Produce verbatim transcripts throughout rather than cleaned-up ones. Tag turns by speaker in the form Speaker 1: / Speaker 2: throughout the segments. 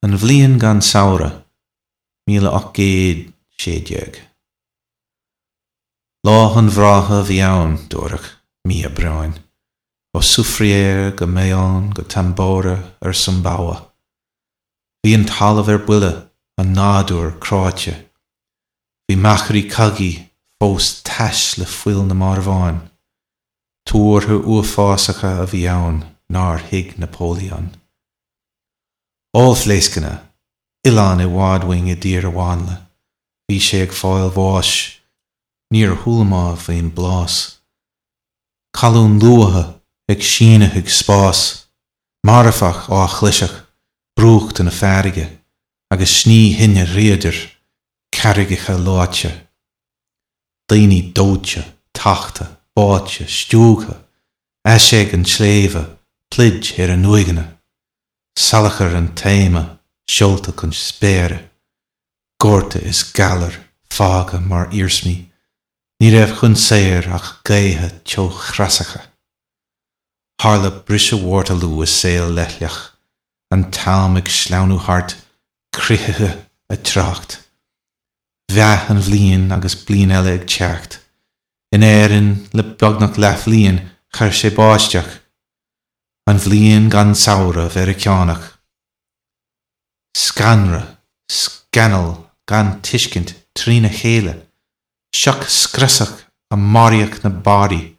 Speaker 1: An bhliain gan samhradh, míle ocht gcéad sé déag. Lá an bhrátha a bhí ann, dúradh, mí Aibreáin, ó Soufrière go Mahón go Tambora ar Sumbawa. Bhí an talamh ar buile, an nádúr cráite. Bhí machairí cogaidh fós tais le fuil na marbhán. Tuartha uafásacha a bhí ann nár thuig Napoleon. Ollphléascanna, oileán i bhfad uainn i dtír mhánla. Bhí sé ag fáil bháis, níor chuala mé faoin bplás. Colún luatha ag síneadh chuig spás, marfach á chliseadh, brúchtadh na farraige, agus sní thine dríodair, carraigeacha leáite. Daoine dóite, tachta, báite, stiúgtha, aiséag an tsléibhe, pluid ar a n-uaigheanna, salachar an taoma seolta chun spéire, gorta is galar fágtha mar iarsmaí, ní raibh chun saoir ach gaotha teochreasacha. Tharla briseadh Waterloo i saol leithleach, an t-am ag sleamhnú thart, croíthe ag trácht. Mheath an bhliain agus bliain eile ag teacht. In Éirinn le beagnach leathbhliain chuir sé báisteach. An bhliain gan samhradh Mheiriceánach. Scanradh, scannal gan tuiscint trína chéile, sioc screasach a maraíodh na barraí,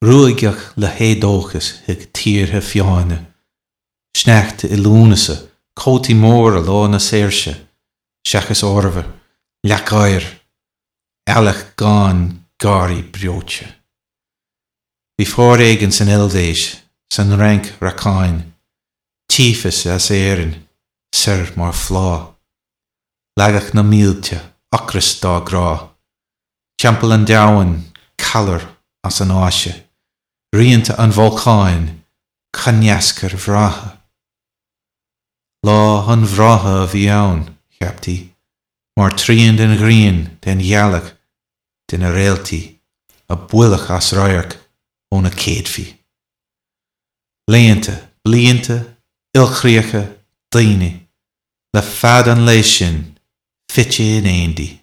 Speaker 1: ruaigeadh le héadóchas chuig tíortha fiáine, sneachta i Lúnasa, cótaí móra lá na saoirse, seachas arbhar, leac oighir, eallach gann gáirí breoite. Bhí foréigean san Eilvéis, san Fhrainc racáin, tífeas as Éirinn, soir mar phlá. Leagadh na mílte, ocras dá gcrá. Timpeall an domhain, calar as an Áise, rianta an bholcáin, coineascair bhreátha. Lá an bhrátha a bhí ann, cheaptaí, mar trian den ghrian, den ghealach, de na réaltaí, a buaileadh as radharc ó na céadfaí. Laethanta, blianta, ilchríocha, daoine, le fad an lae sin, fite in éindí.